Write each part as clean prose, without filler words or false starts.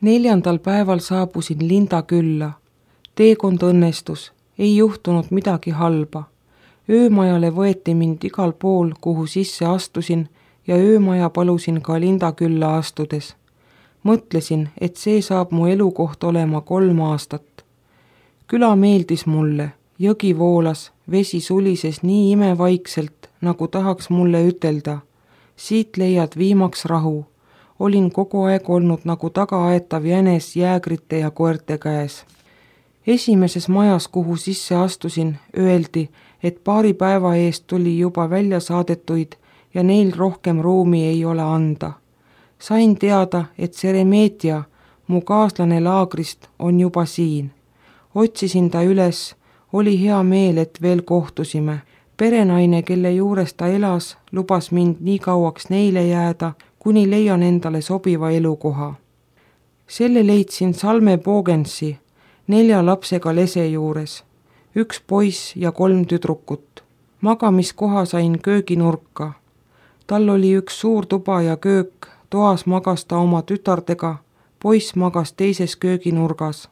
4. päeval saabusin Linda külla. Teekond õnnestus, ei juhtunud midagi halba. Öömajale võeti mind igal pool, kuhu sisse astusin ja öömaja palusin ka Linda külla astudes. Mõtlesin, et see saab mu elukoht olema 3 aastat. Küla meeldis mulle, jõgi voolas, vesi sulises nii imevaikselt, nagu tahaks mulle ütelda. Siit leiad viimaks rahu. Olin kogu aeg olnud nagu tagaaetav jänes jäägrite ja koerte käes. Esimeses majas, kuhu sisse astusin, öeldi, et paari päeva eest tuli juba välja saadetuid ja neil rohkem ruumi ei ole anda. Sain teada, et Seremetia, mu kaaslane laagrist, on juba siin. Otsisin ta üles, oli hea meel, et veel kohtusime. Perenaine, kelle juures ta elas, lubas mind nii kauaks neile jääda, kuni leian endale sobiva elukoha. Selle leidsin Salme Bogensi, 4 lapsega lese juures, 1 poiss ja 3 tüdrukut. Magamiskoha sain kööginurka. Tal oli 1 suur tuba ja köök, toas magas ta oma tütardega, poiss magas teises kööginurgas.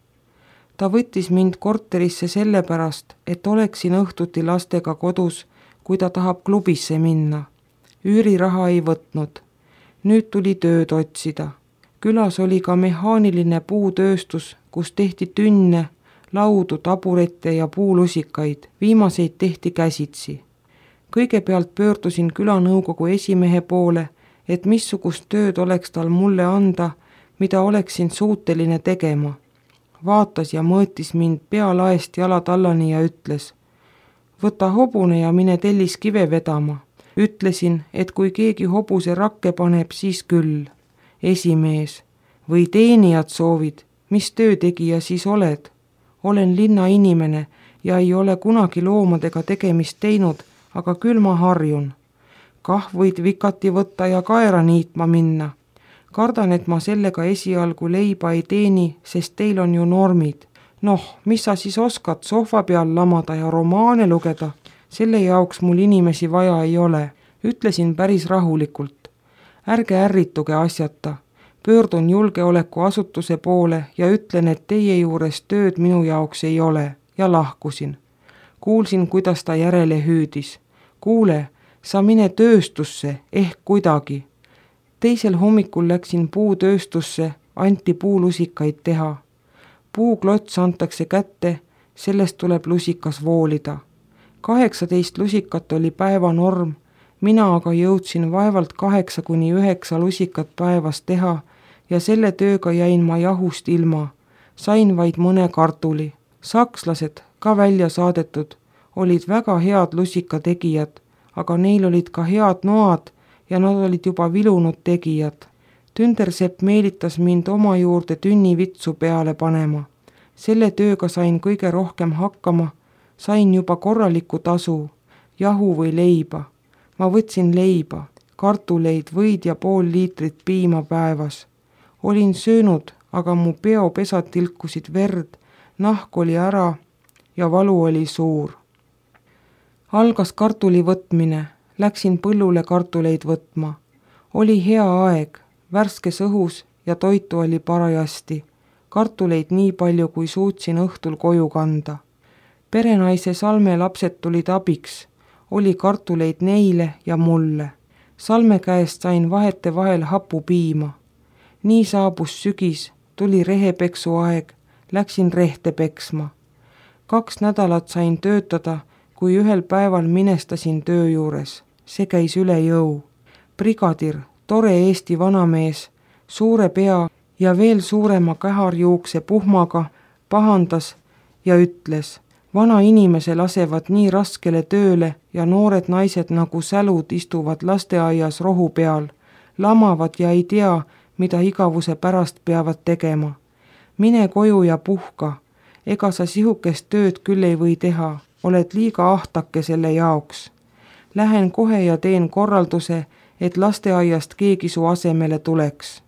Ta võttis mind korterisse sellepärast, et oleksin õhtuti lastega kodus, kui ta tahab klubisse minna. Üüriraha ei võtnud. Nüüd tuli tööd otsida. Külas oli ka mehaaniline puutööstus, kus tehti tünne, laudu, taburette ja puulusikaid. Viimaseid tehti käsitsi. Kõigepealt pöördusin külanõukogu esimehe poole, et missugust tööd oleks tal mulle anda, mida oleksin suuteline tegema. Vaatas ja mõõtis mind pealaest jalatallani ja ütles, võta hobune ja mine telliskive vedama. Ütlesin, et kui keegi hobuse rakke paneb, siis küll. Esimees, või teenijad soovid, mis töötegija siis oled? Olen linnainimene ja ei ole kunagi loomadega tegemist teinud, aga küll ma harjun. Kah võid vikati võtta ja kaera niitma minna. Kardan, et ma sellega esialgu leiba ei teeni, sest teil on ju normid. Noh, mis sa siis oskad sohva peal lamada ja romaane lugeda? Selle jaoks mul inimesi vaja ei ole. Ütlesin päris rahulikult. Ärge ärrituge asjata. Pöördun julgeolekuasutuse poole ja ütlen, et teie juures tööd minu jaoks ei ole ja lahkusin. Kuulsin, kuidas ta järele hüüdis. Kuule, sa mine tööstusse ehk kuidagi. Teisel hommikul läksin puutööstusse, anti puulusikaid teha. Puuklots antakse kätte, sellest tuleb lusikas voolida. 18 lusikat oli päevanorm, mina aga jõudsin vaevalt 8–9 lusikat päevas teha ja selle tööga jäin ma jahust ilma. Sain vaid mõne kartuli. Sakslased, ka välja saadetud, olid väga head lusikategijad, aga neil olid ka head noad ja nad olid juba vilunud tegijad. Tündersepp meelitas mind oma juurde tünnivitsu peale panema. Selle tööga sain kõige rohkem hakkama, sain juba korraliku tasu, jahu või leiba. Ma võtsin leiba, kartuleid, võid ja pool liitrit piima päevas. Olin söönud, aga mu peopesad tilkusid verd, nahk oli ära ja valu oli suur. Algas kartuli võtmine. Läksin põllule kartuleid võtma. Oli hea aeg, värskes õhus ja toitu oli parajasti. Kartuleid nii palju, kui suutsin õhtul koju kanda. Perenaise Salme lapsed tulid abiks. Oli kartuleid neile ja mulle. Salme käest sain vahete vahel hapupiima. Nii saabus sügis, tuli rehepeksu aeg, läksin rehte peksma. 2 nädalat sain töötada, kui ühel päeval minestasin töö juures. See käis üle jõu. Brigadir, tore Eesti vanamees, suure pea ja veel suurema käharjuukse puhmaga pahandas ja ütles, vana inimese lasevad nii raskele tööle ja noored naised nagu sälud istuvad lasteaias rohu peal, lamavad ja ei tea, mida igavuse pärast peavad tegema. Mine koju ja puhka, ega sa sihukest tööd küll ei või teha, oled liiga ahtake selle jaoks. Lähen kohe ja teen korralduse, et lasteaiast keegi su asemele tuleks.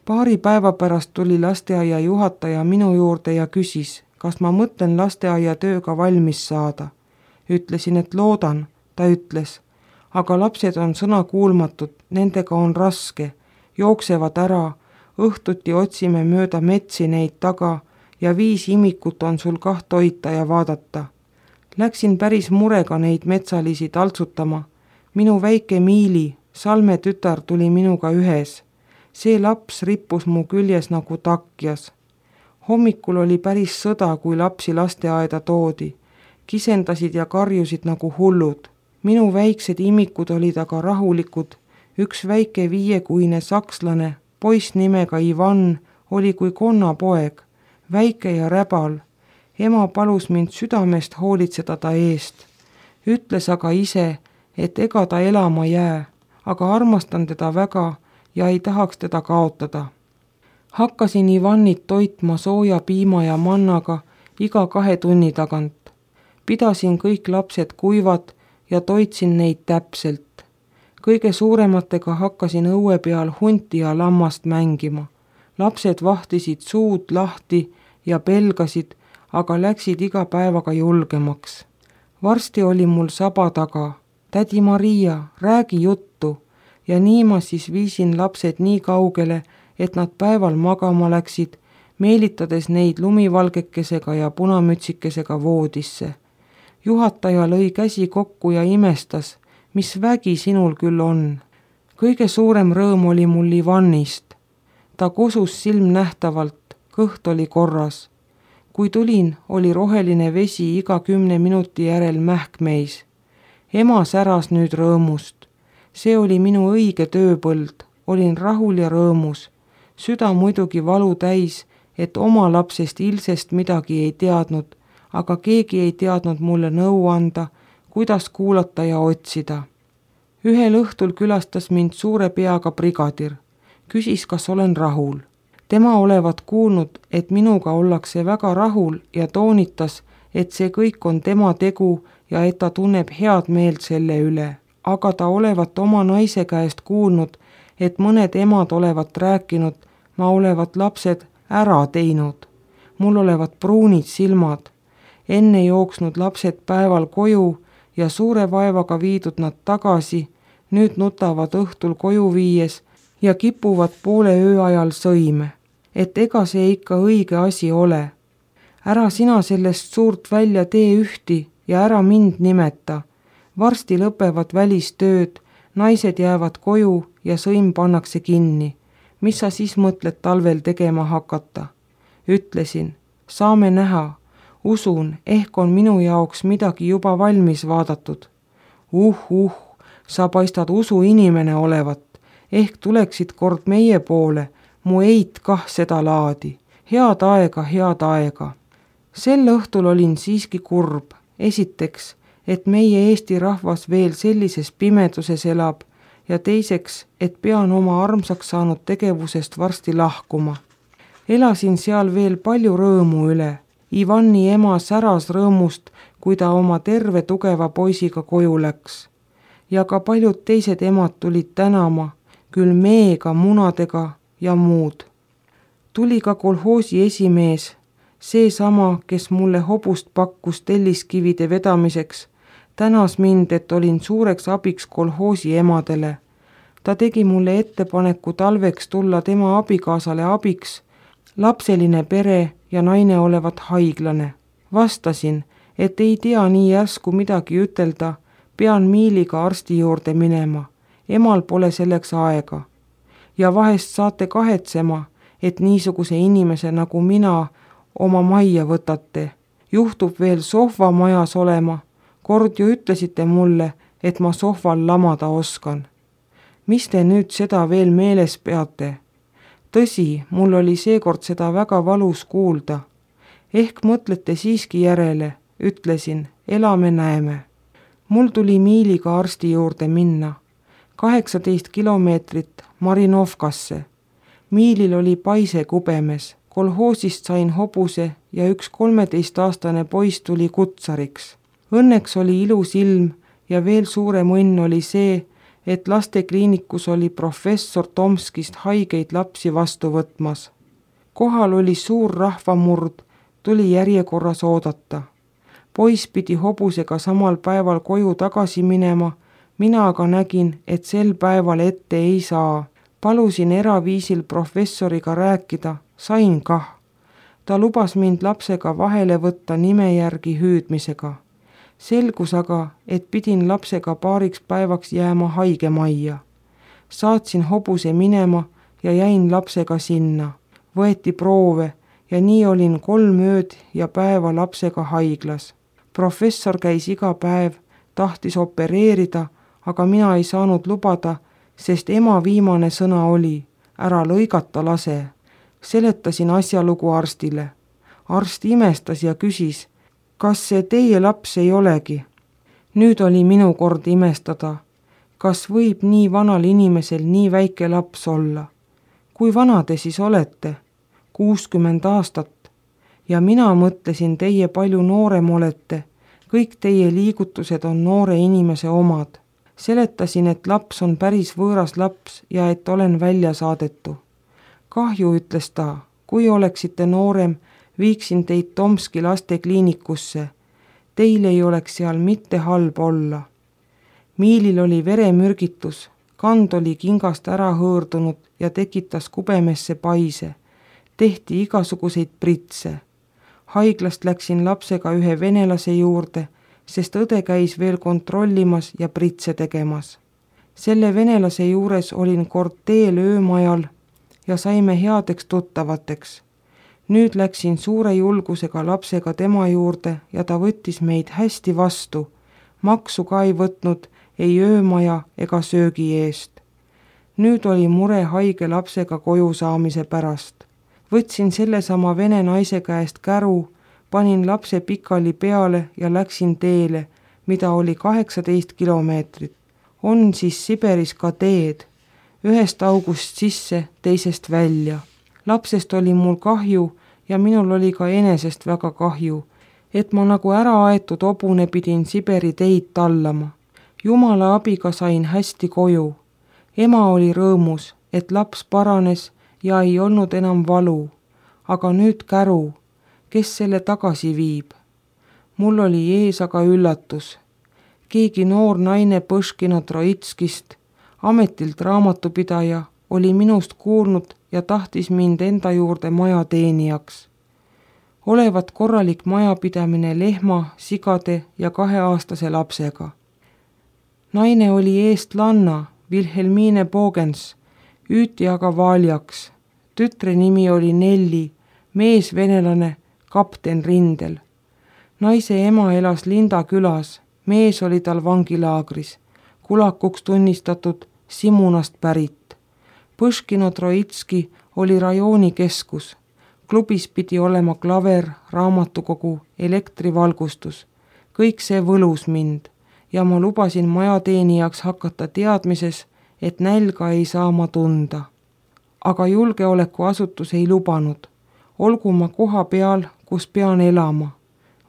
Paari päeva pärast tuli lasteaia juhataja minu juurde ja küsis, kas ma mõtlen lasteaia tööga valmis saada. Ütlesin, et loodan, ta ütles, aga lapsed on sõnakuulmatud, nendega on raske, jooksevad ära, õhtuti otsime mööda metsi neid taga ja 5 imikut on sul kah toita ja vaadata. Läksin päris murega neid metsalisi taltsutama. Minu väike Miili, Salme tütar, tuli minuga ühes. See laps rippus mu küljes nagu takjas. Hommikul oli päris sõda, kui lapsi lasteaeda toodi. Kisendasid ja karjusid nagu hullud. Minu väiksed imikud olid aga rahulikud. Üks väike 5-kuine sakslane, poiss nimega Ivan, oli kui konnapoeg, väike ja räbal. Ema palus mind südamest hoolitseda ta eest. Ütles aga ise, et ega ta elama jää, aga armastan teda väga ja ei tahaks teda kaotada. Hakkasin Ivanit toitma sooja piima ja mannaga iga 2 tunni tagant. Pidasin kõik lapsed kuivad ja toitsin neid täpselt. Kõige suurematega hakkasin õue peal hunti ja lammast mängima. Lapsed vahtisid suud lahti ja pelgasid, aga läksid iga päevaga julgemaks. Varsti oli mul saba taga. Tädi Maria, räägi juttu. Ja nii ma siis viisin lapsed nii kaugele, et nad päeval magama läksid, meelitades neid lumivalgekesega ja punamütsikesega voodisse. Juhataja lõi käsi kokku ja imestas, mis vägi sinul küll on. Kõige suurem rõõm oli mul Ivanist. Ta kusus silmnähtavalt, kõht oli korras. Kui tulin, oli roheline vesi iga 10 minuti järel mähkmeis. Ema säras nüüd rõõmust. See oli minu õige tööpõld, olin rahul ja rõõmus. Süda muidugi valu täis, et oma lapsest Ilsest midagi ei teadnud, aga keegi ei teadnud mulle nõu anda, kuidas kuulata ja otsida. Ühel õhtul külastas mind suure peaga brigadir. Küsis, kas olen rahul. Tema olevat kuulnud, et minuga ollakse väga rahul ja toonitas, et see kõik on tema tegu ja et ta tunneb head meelt selle üle. Aga ta olevat oma naise käest kuulnud, et mõned emad olevat rääkinud, ma olevat lapsed ära teinud. Mul olevat pruunid silmad. Enne jooksnud lapsed päeval koju ja suure vaevaga viidud nad tagasi, nüüd nutavad õhtul koju viies ja kipuvad poole öö ajal sõime. Et ega see ikka õige asi ole. Ära sina sellest suurt välja tee ühti ja ära mind nimeta. Varsti lõpevad välistööd, naised jäävad koju ja sõim pannakse kinni. Mis sa siis mõtled talvel tegema hakata? Ütlesin, saame näha. Usun, ehk on minu jaoks midagi juba valmis vaadatud. Sa paistad usuinimene olevat. Ehk tuleksid kord meie poole, mu eit kah seda laadi. Head aega. Sel õhtul olin siiski kurb. Esiteks, et meie Eesti rahvas veel sellises pimeduses elab ja teiseks, et pean oma armsaks saanud tegevusest varsti lahkuma. Elasin seal veel palju rõõmu üle. Ivani ema säras rõõmust, kui ta oma terve tugeva poisiga koju läks. Ja ka paljud teised emad tulid tänama, küll meega, munadega ja muud. Tuli ka kolhoosi esimees, seesama, kes mulle hobust pakkus telliskivide vedamiseks, tänas mind, et olin suureks abiks kolhoosi emadele. Ta tegi mulle ettepaneku talveks tulla tema abikaasale abiks, lapseline pere ja naine olevat haiglane. Vastasin, et ei tea nii järsku midagi ütelda, pean Miiliga arsti juurde minema. Emal pole selleks aega. Ja vahest saate kahetsema, et niisuguse inimese nagu mina oma majja võtate. Juhtub veel sohva majas olema. Kord ju ütlesite mulle, et ma sohval lamada oskan. Mis te nüüd seda veel meeles peate? Tõsi, mul oli seekord seda väga valus kuulda. Ehk mõtlete siiski järele, ütlesin, elame näeme. Mul tuli Miiliga arsti juurde minna. 18 kilomeetrit Marinovkasse. Miilil oli paise kubemes. Kolhoosist sain hobuse ja üks 13-aastane poiss tuli kutsariks. Õnneks oli ilus ilm ja veel suurem õnn oli see, et lastekliinikus oli professor Tomskist haigeid lapsi vastu võtmas. Kohal oli suur rahvamurd, tuli järjekorras oodata. Poiss pidi hobusega samal päeval koju tagasi minema, mina aga nägin, et sel päeval ette ei saa. Palusin eraviisil professoriga rääkida, sain kah. Ta lubas mind lapsega vahele võtta nime järgi hüüdmisega. Selgus aga, et pidin lapsega paariks päevaks jääma haigemajja. Saatsin hobuse minema ja jäin lapsega sinna. Võeti proove ja nii olin 3 ööd ja päeva lapsega haiglas. Professor käis iga päev, tahtis opereerida, aga mina ei saanud lubada, sest ema viimane sõna oli, ära lõigata lase. Seletasin asjalugu arstile. Arst imestas ja küsis, kas see teie laps ei olegi? Nüüd oli minu kord imestada. Kas võib nii vanal inimesel nii väike laps olla? Kui vana te siis olete? 60 aastat. Ja mina mõtlesin, teie palju noorem olete. Kõik teie liigutused on noore inimese omad. Seletasin, et laps on päris võõras laps ja et olen välja saadetu. Kahju, ütles ta, kui oleksite noorem, viiksin teid Tomski lastekliinikusse. Teil ei oleks seal mitte halb olla. Miilil oli veremürgitus, kand oli kingast ära hõõrdunud ja tekitas kubemesse paise. Tehti igasuguseid pritse. Haiglast läksin lapsega ühe venelase juurde, sest õde käis veel kontrollimas ja pritse tegemas. Selle venelase juures olin kord teel öömajal ja saime headeks tuttavateks. Nüüd läksin suure julgusega lapsega tema juurde ja ta võttis meid hästi vastu. Maksu ka ei võtnud ei öömaja ega söögi eest. Nüüd oli mure haige lapsega koju saamise pärast. Võtsin sellesama vene naise käest käru, panin lapse pikali peale ja läksin teele, mida oli 18 kilomeetrit. On siis Siberis ka teed, ühest august sisse, teisest välja. Lapsest oli mul kahju ja minul oli ka enesest väga kahju, et ma nagu ära aetud hobune pidin Siberi teid tallama. Jumala abiga sain hästi koju. Ema oli rõõmus, et laps paranes ja ei olnud enam valu. Aga nüüd käru, kes selle tagasi viib? Mul oli ees aga üllatus. Keegi noor naine Põškina Troitskist, ametilt raamatupidaja, oli minust kuulnud ja tahtis mind enda juurde majateenijaks. Olevat korralik majapidamine lehma, sigade ja 2-aastase lapsega. Naine oli eestlanna, Wilhelmine Bogens, üüti aga Valjaks. Tütre nimi oli Nelli, mees venelane, kapten rindel. Naise ema elas Linda külas, mees oli tal vangilaagris, kulakuks tunnistatud Simunast pärit. Põškino Troitski oli rajooni keskus. Klubis pidi olema klaver, raamatukogu, elektrivalgustus. Kõik see võlus mind ja ma lubasin majateenijaks hakata teadmises, et nälga ei saa ma tunda. Aga julgeolekuasutus ei lubanud. Olgu ma koha peal, kus pean elama.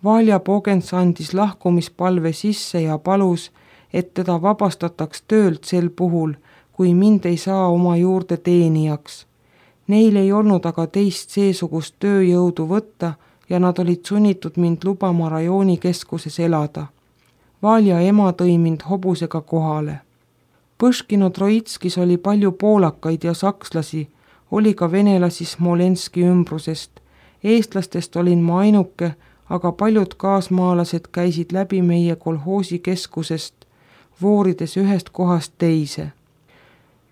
Valja Bogens andis lahkumispalve sisse ja palus, et teda vabastataks töölt sel puhul, kui mind ei saa oma juurde teenijaks. Neil ei olnud aga teist seesugust tööjõudu võtta ja nad olid sunnitud mind lubama rajoonikeskuses elada. Valja ema tõi mind hobusega kohale. Põškino Troitskis oli palju poolakaid ja sakslasi, oli ka venelasi Smolenski ümbrusest. Eestlastest olin ma ainuke, aga paljud kaasmaalased käisid läbi meie kolhoosi keskusest, voorides ühest kohast teise.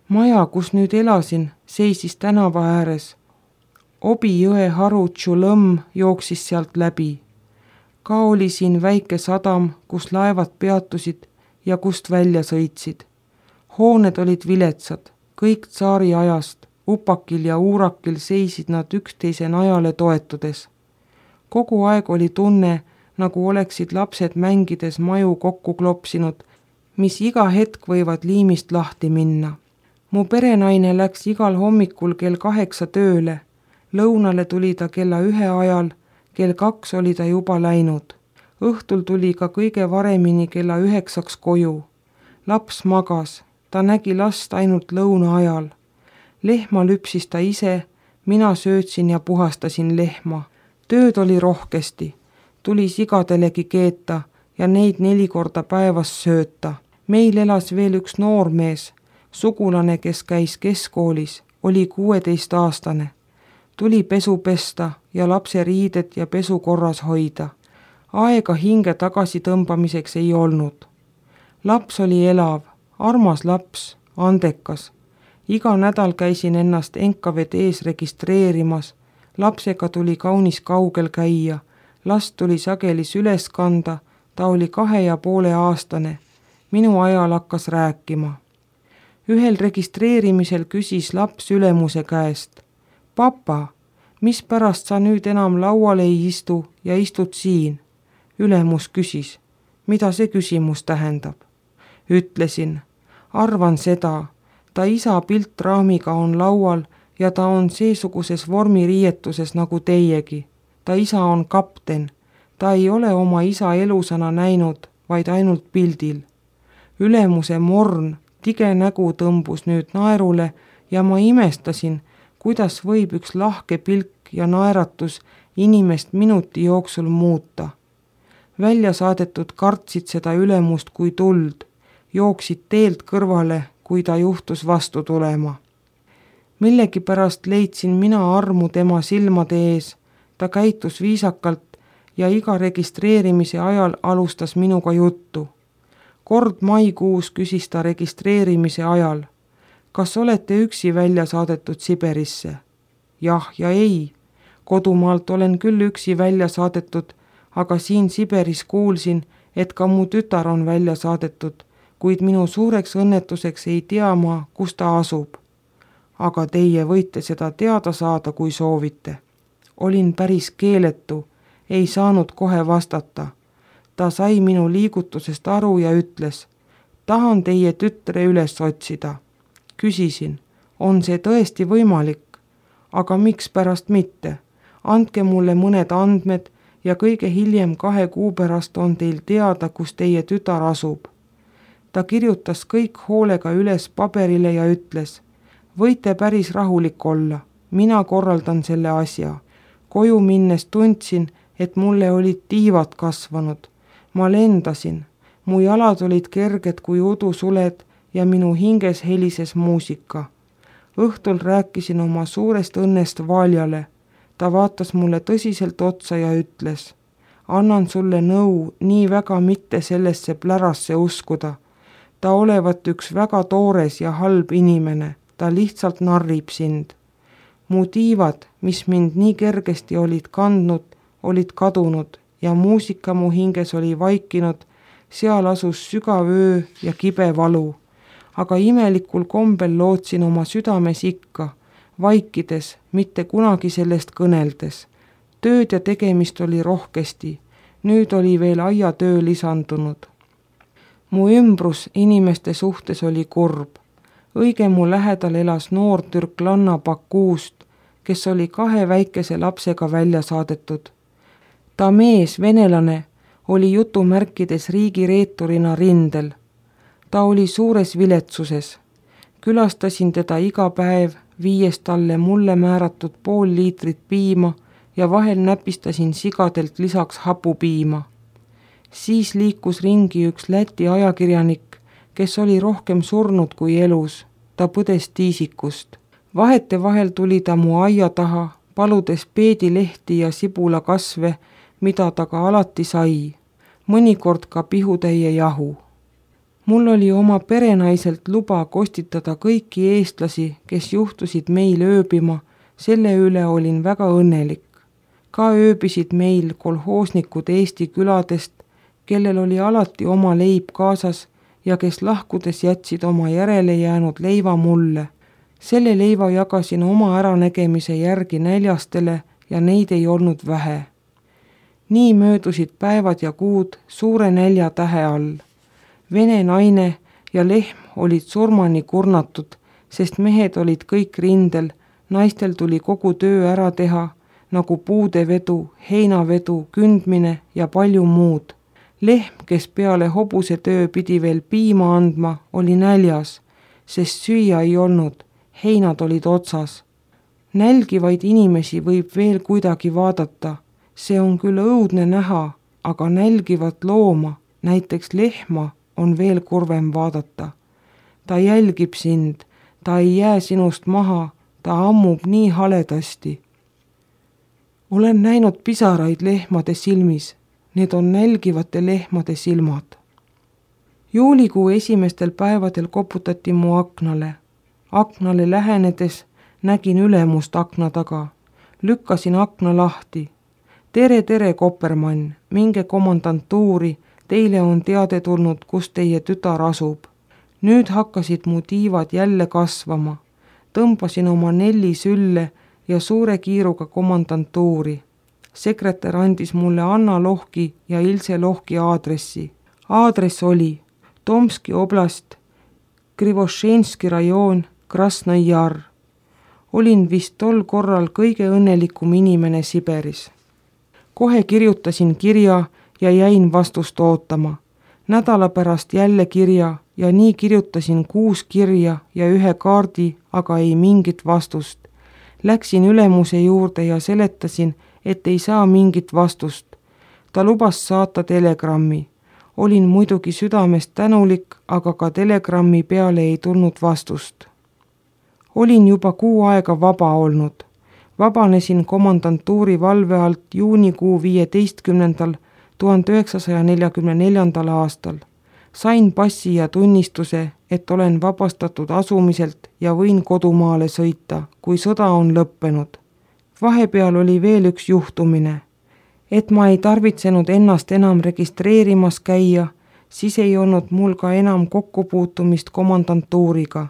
Maja, kus nüüd elasin, seisis tänava ääres. Obi jõe haru Tšulõmm jooksis sealt läbi. Ka oli siin väike sadam, kus laevad peatusid ja kust välja sõitsid. Hooned olid viletsad, kõik tsaari ajast, upakil ja uurakil seisid nad üksteise najale toetudes. Kogu aeg oli tunne, nagu oleksid lapsed mängides maju kokku klopsinud, mis iga hetk võivad liimist lahti minna. Mu perenaine läks igal hommikul kell 8 tööle, lõunale tuli ta kella 1 ajal, kell 2 oli ta juba läinud. Õhtul tuli ka kõige varemini kella 9 koju. Laps magas, ta nägi last ainult lõuna ajal. Lehma lüpsis ta ise, mina söötsin ja puhastasin lehma. Tööd oli rohkesti, tuli sigadelegi keeta ja neid 4 korda päevas sööta. Meil elas veel üks noormees, Sugulane, kes käis keskkoolis, oli 16-aastane. Tuli pesu pesta ja lapse riided ja pesu korras hoida. Aega hinge tagasi tõmbamiseks ei olnud. Laps oli elav, armas laps, andekas. Iga nädal käisin ennast NKVD-s registreerimas. Lapsega tuli kaunis kaugel käia. Last tuli sageli üles kanda, ta oli 2,5-aastane. Minu ajal hakkas rääkima. Ühel registreerimisel küsis laps ülemuse käest: "Papa, mispärast sa nüüd enam laual ei istu ja istud siin?" Ülemus küsis: "Mida see küsimus tähendab?" Ütlesin: "Arvan seda, ta isa piltraamiga on laual ja ta on seesuguses vormiriietuses nagu teiegi. Ta isa on kapten. Ta ei ole oma isa elusana näinud, vaid ainult pildil." Ülemuse morn, tige nägu tõmbus nüüd naerule ja ma imestasin, kuidas võib üks lahke pilk ja naeratus inimest minuti jooksul muuta. Välja saadetud kartsid seda ülemust kui tuld, jooksid teelt kõrvale, kui ta juhtus vastu tulema. Millegipärast leidsin mina armu tema silmade ees. Ta käitus viisakalt ja iga registreerimise ajal alustas minuga juttu. Kord maikuus küsis ta registreerimise ajal: "Kas olete üksi välja saadetud Siberisse?" Jah ja ei. Kodumaalt olen küll üksi välja saadetud, aga siin Siberis kuulsin, et ka mu tütar on välja saadetud, kuid minu suureks õnnetuseks ei tea ma, kus ta asub. Aga teie võite seda teada saada, kui soovite. Olin päris keeletu, ei saanud kohe vastata. Ta sai minu liigutusest aru ja ütles: "Tahan teie tütre üles otsida." Küsisin: "On see tõesti võimalik? Aga mikspärast mitte? Andke mulle mõned andmed ja kõige hiljem 2 kuu pärast on teil teada, kus teie tütar asub." Ta kirjutas kõik hoolega üles paberile ja ütles: "Võite päris rahulik olla, mina korraldan selle asja." Koju minnes tundsin, et mulle olid tiivad kasvanud. Ma lendasin, mu jalad olid kerged kui udusuled ja minu hinges helises muusika. Õhtul rääkisin oma suurest õnnest Valjale. Ta vaatas mulle tõsiselt otsa ja ütles: "Annan sulle nõu nii väga mitte sellesse plärasse uskuda. Ta olevat üks väga toores ja halb inimene, ta lihtsalt narrib sind." Mu tiivad, mis mind nii kergesti olid kandnud, olid kadunud ja muusika mu hinges oli vaikinud, seal asus sügav öö ja kibe valu. Aga imelikul kombel lootsin oma südames ikka, vaikides, mitte kunagi sellest kõneldes. Tööd ja tegemist oli rohkesti, nüüd oli veel aiatöö lisandunud. Mu ümbrus inimeste suhtes oli kurb. Õige mu lähedal elas noor türklanna Bakuust, kes oli 2 väikese lapsega välja saadetud. Ta mees, venelane, oli jutumärkides riigireeturina rindel. Ta oli suures viletsuses. Külastasin teda iga päev, viies talle mulle määratud 0,5 liitrit piima ja vahel näpistasin sigadelt lisaks hapupiima. Siis liikus ringi üks Läti ajakirjanik, kes oli rohkem surnud kui elus. Ta põdes tiisikust. Vahetevahel tuli ta mu aia taha, paludes peedilehti ja sibulakasve, mida ta ka alati sai. Mõnikord ka pihutäie jahu. Mul oli oma perenaiselt luba kostitada kõiki eestlasi, kes juhtusid meil ööbima, selle üle olin väga õnnelik. Ka ööbisid meil kolhoosnikud Eesti küladest, kellel oli alati oma leib kaasas ja kes lahkudes jätsid oma järele jäänud leiva mulle. Selle leiva jagasin oma äranägemise järgi näljastele ja neid ei olnud vähe. Nii möödusid päevad ja kuud suure nälja tähe all. Vene naine ja lehm olid surmani kurnatud, sest mehed olid kõik rindel, naistel tuli kogu töö ära teha, nagu puudevedu, heinavedu, kündmine ja palju muud. Lehm, kes peale hobuse töö pidi veel piima andma, oli näljas, sest süüa ei olnud, heinad olid otsas. Nälgivaid inimesi võib veel kuidagi vaadata, see on küll õudne näha, aga nälgivat looma, näiteks lehma, on veel kurvem vaadata. ta jälgib sind, ta ei jää sinust maha, ta ammub nii haledasti. Olen näinud pisaraid lehmade silmis, need on nälgivate lehmade silmad. Juulikuu esimestel päevadel koputati mu aknale. Aknale lähenedes nägin ülemust akna taga. Lükkasin akna lahti. Tere, Kopermann, minge komandantuuri, teile on teade tulnud, kus teie tütar asub. Nüüd hakkasid mu tiivad jälle kasvama. Tõmbasin oma 4 sülle ja suure kiiruga komandantuuri. Sekretär andis mulle Anna Lohki ja Ilse Lohki aadressi. Aadress oli Tomski oblast, Krivošenski rajoon, Krasnõi Jar. Olin vist tol korral kõige õnnelikum inimene Siberis. Kohe kirjutasin kirja ja jäin vastust ootama. Nädala pärast jälle kirja ja nii kirjutasin 6 kirja ja 1 kaardi, aga ei mingit vastust. Läksin ülemuse juurde ja seletasin, et ei saa mingit vastust. Ta lubas saata telegrammi. Olin muidugi südamest tänulik, aga ka telegrammi peale ei tulnud vastust. Olin juba 6 aega vaba olnud. Vabanesin komandantuuri valve alt juunikuu 15. 1944. aastal. Sain passi ja tunnistuse, et olen vabastatud asumiselt ja võin kodumaale sõita, kui sõda on lõppenud. Vahepeal oli veel üks juhtumine. Et ma ei tarvitsenud ennast enam registreerimas käia, siis ei olnud mul ka enam kokkupuutumist komandantuuriga.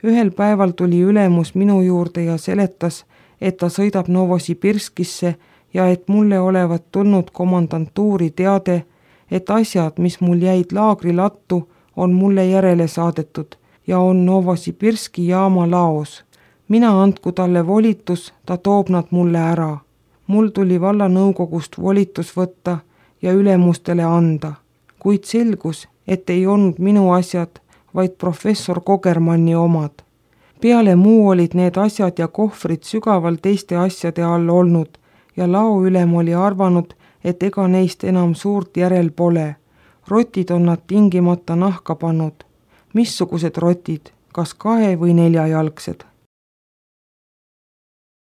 Ühel päeval tuli ülemus minu juurde ja seletas, et ta sõidab Novosibirskisse ja et mulle olevat tulnud komandantuuri teade, et asjad, mis mul jäid laagrilattu, on mulle järele saadetud ja on Novosibirski jaama laos. Mina andku talle volitus, ta toob nad mulle ära. Mul tuli vallanõukogust volitus võtta ja ülemustele anda, kuid selgus, et ei olnud minu asjad, vaid professor Kogermanni omad. Peale muu olid need asjad ja kohvrid sügaval teiste asjade all olnud ja laoülem oli arvanud, et ega neist enam suurt järel pole. Rotid on nad tingimata nahka pannud. Missugused rotid, kas 2- või 4-jalgsed?